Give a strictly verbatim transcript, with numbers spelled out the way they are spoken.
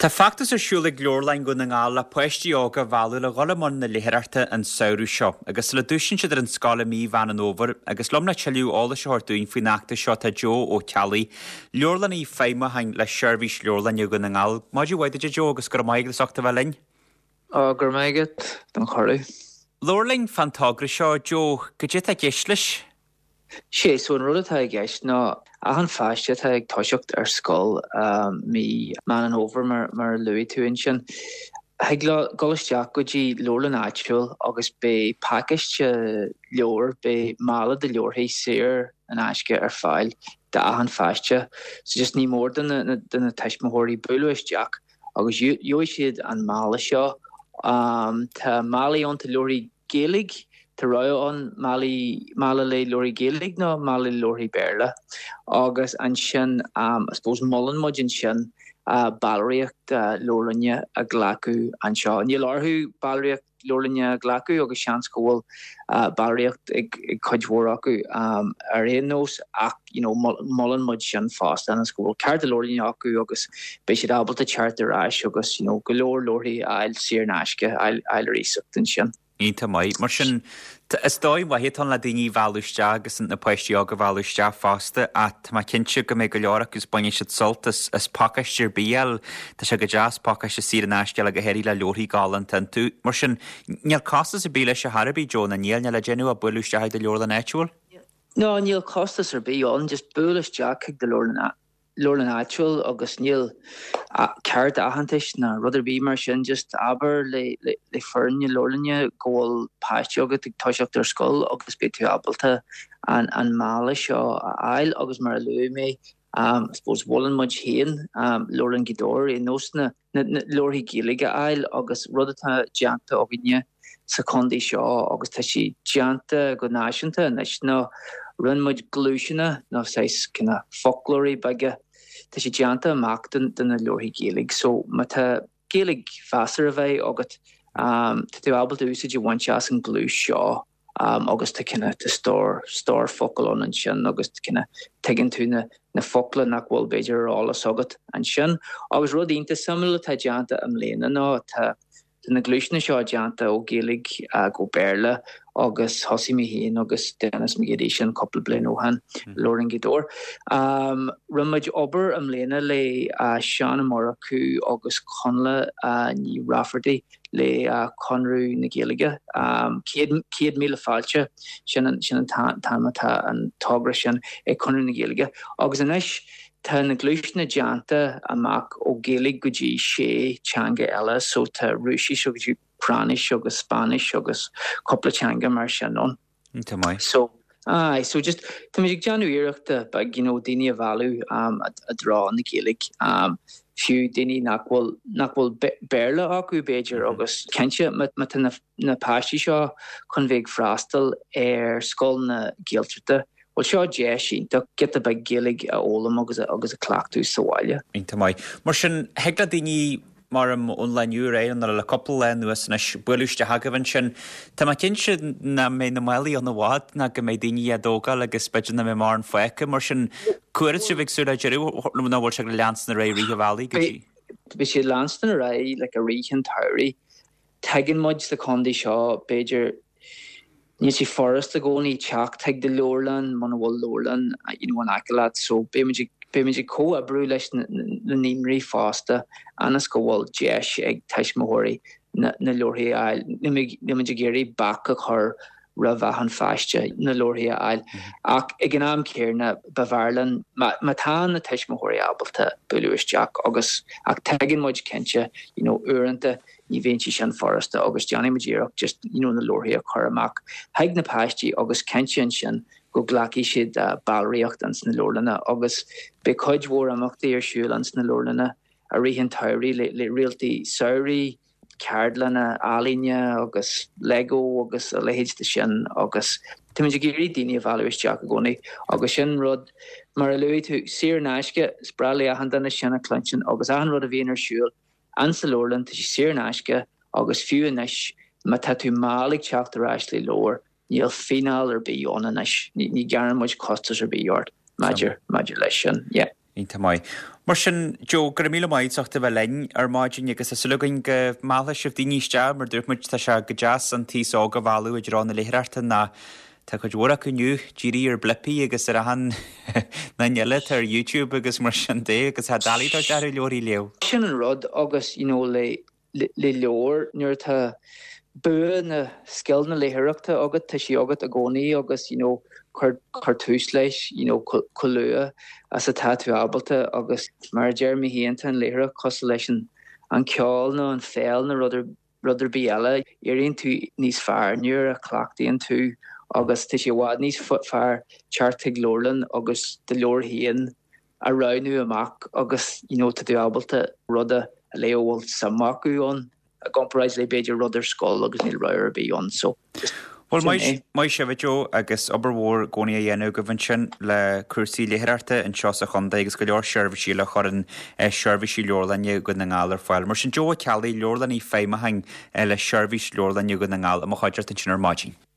Tá feachtas ar siúl ag Leabharlann Dhún na nGall le páistí óga a mhealladh le dhul i mbun na léitheoireachta an samhradh seo, agus sula dtoisíonn siad ar an scoil i mí Mheán an Fhómhair, agus liom le tuilleadh eolais a thabhairt dúinn faoin fheachtas seo tá Joe Ó Ceallaigh, Leabharlannaí Feidhmiúcháin le Seirbhís Leabharlainne Dhún na nGall. Maidin mhaith duit a Joe agus go raibh maith agat as ucht a bheith linn. Ó, go raibh maith agat don chuireadh. Labhair linn fán togra seo, Joe, goidé atá i gceist leis. Sé so an rud atá i gceist ná achan pháiste atá ag toiseacht ar scoil mí Meán an Fhómhair mar mar a luaigh tú ansin. Thig leo dul isteach go dtí leabharlann áitiúil agus beidh pacáiste leabhar, beidh mála de leabharthaí saor in aisce ar fáil d'achan pháiste. So just ní mór do na do na tuismitheoirí bualadh isteach agus gheobhaidh siad an mála seo. Tá málaí ann, tá leabharthaí Gaeilge, tá rogha ann málaí mála le leabharthaí Gaeilge nó mála le leabharthaí Béarla. Agus ansin I suppose molann muid ansin ballraíocht leabharlainne a ghlacadh anseo. Níl orthu ballraíocht leabharlainne a ghlacadh agus seans go bhfuil ballraíocht ag ag cuid mhór acu ar aon nós ach you know molann muid sin fosta ionas go bhfuil cárta leabharlainne acu agus beidh siad ábalta teacht ar ais agus you know go leor leabharthaí a fháil saor in aisce a fháil ar iasacht ansin. Iontach maith. Mar sin, is dóigh mhaith atá ann le daoine a mhealladh isteach agus na páistí óga a mhealladh isteach fosta ach tá mé cinnte go mbeidh go leor acu is bainfidh siad sult as, as pacáiste ar bith a fháil. Tá sé go deas pacáiste saor in aisce a fháil go háirithe le leabharthaí galánta iontu. Mar sin, níl costas ar bith leis ar chor ar bith, Joe, ná níl, níl le déanamh ach bualadh isteach ag do leabharlann áitiúil? No, níl costas ar bith ann, just buail isteach chuig do leabharlann leabharlann áitiúil agus níl cárta aitheantais ná rud ar bith mar sin, just abair le le le foireann na leabharlainne go bhfuil páiste agat ag toiseacht ar scoil agus beidh tú ábalta an an mála seo a fháil agus mar a luaigh mé um, I suppose molann muid féin um, Leabharlann Ghaoth Dobhair ar nós na na leabharthaí Gaeilge a fháil agus rud atá déanta againne sa chontae seo agus tá sé déanta go náisiúnta anois ná rinne muid gluaiseanna nó saghas kind of foclóirí beaga tá sé déanta amach den de na leabharthaí Gaeilge so má tá Gaeilge mheasartha a bheith agat um, tá tú ábalta úsáid a bhaint as an gluais seo um, agus tá kind of tá stór stór focal ann ansin agus kind of tuigeann tú na na focla nach bhfuil b'fhéidir ar eolas agat ansin agus rud iontach suimiúil atá déanta i mbliana ná tá Tá na gluaiseanna seo déanta ó Ghaeilge go Béarla agus thosaigh mé féin agus Denis McGeady sin cúpla bliain ó shin Leabharlann Ghaoth Dobhair. Um, Rinne muid obair i mbliana le uh, Seán Ó Murchú agus Connla uh, Ní Rafferty le uh, Conradh na Gaeilge. Um, céad míle fáilte sin an sin an t-ainm atá an togra sin ag Conradh na Gaeilge. Agus anois tá na gluaiseanna déanta amach ó Ghaeilge go dtí sé teanga eile, so tá Rúisis agus Úcráinis agus Spáinnis agus cúpla teanga mar sin ann. Iontach maith. So aye, so just tá muid ag déanamh iarrachta beag you know, daoine a mhealladh um, i dtreo na Gaeilge. Um, fiú daoine nach bhfuil nach bhfuil Béarla acu b'fhéidir mm -hmm. agus cinnte má tá na, na páistí seo chun bheith ag freastal ar scoil na Gaeltachta, Well seo deis iontach giota beag Gaeilge a fhoghlaim agus agus a chleachtadh sa bhaile. Iontach maith. Mar sin thig le daoine mar am ón lá inniu ar aghaidh nó le cúpla lá anuas anois bualadh isteach agaibh ansin. Tá mé cinnte nach mbeidh na málaí ann i bhfad ná go mbeidh daoine á dtógáil agus b'fhéidir nach mbeidh mórán fágtha mar sin cá huair atá sibh ag súil le deireadh nó bhfuil sé ag leanstan ar aghaidh i rith an bhealaigh go dtí. Beidh sé leanstan ar aghaidh le i rith an tsamhraidh. Tuigeann muid sa chontae seo b'fhéidir Níl sé furasta i gcónaí teacht chuig do leabharlann muna bhfuil leabharlann you know, in aice leat, so beimid ag beimid ag comhoibriú leis na na naíonraí fosta ionas go bhfuil deis ag tuismitheoirí na na leabharthaí a fháil. Níl muid ag iarraidh bac a chur roimh achan pháiste na leabharthaí a fháil. Ach ag an am céanna b'fhearr linn má má tá na tuismitheoirí ábalta bualadh isteach agus ach tuigeann muid cinnte you know, uaireanta ní bhíonn sé sin furasta agus déanfaidh muid iarracht just you know, na leabharthaí a chur amach chuig na páistí agus cinnte ansin go nglacfaidh siad uh, ballraíocht ins na leabharlanna agus beidh cuid mhór imeachtaí ar siúl ins na leabharlanna i rith an tsamhraidh le, le réaltaí samhraidh, ceardlanna ealaíne agus Lego agus a leithéid de sin agus táimid ag iarraidh daoine a mhealladh isteach i gcónaí agus sin rud mar a luaigh tú saor in aisce is breá le achan duine sin a chluinstin agus achan rud a bhíonn ar siúl insa leabharlann tá sé saor in aisce agus fiú anois má tá tú mall ag teacht ar ais le leabhar níl fíneáil ar bith ann anois ní ní ghearrann muid costas ar bith ort maidir maidir leis sin yeah. Iontach maith. Mar sin Joe go raibh míle maith as ucht a bheith linn ar maidin agus tá súil againn go meallfaidh sibh daoine isteach mar dúirt muid tá sé go deas an t-aos óg a mhealladh i dtreo na léitheoireachta ná tá cuid mhór acu inniu dírithe ar Blippi agus ar achan ní eile atá ar YouTube agus mar sin de agus tá doiligh dóibh leabhar a léamh. Sin an rud agus you know, le le leabhar nuair atá bua na scil na léitheoireachta agat tá sí agat i gcónaí agus you know, cur cur tús leis you know, chomh luath as atá tú ábalta agus mar a deir mé féin tá an léitheoireacht cosúil leis an an ceol nó an pheil nó rud rud ar bith eile éiríonn tú níos fearr nuair a chleachtaíonn tú agus tá sé i bhfad níos fearr teacht chuig leabharlann agus do leabhar féin a roghnú amach agus you know, tá tú ábalta rud a léamh a bhfuil suim acu ann i gcomparáid le b'fhéidir rud ar scoil agus níl rogha ar bith ann so Well maith sibh Joe agus obair mhór i gcónaí á dhéanamh agaibh ansin le cúrsaí léitheoireachta anseo sa chontae agus go leor seirbhísí le chuireann seirbhísí leabharlainne Dhún na nGall ar fáil. Mar sin Joe Ó Ceallaigh leabharlannaí feidhmiúcháin le seirbhís leabharlainne Dhún na nGall i mo chuideachta ansin ar maidin.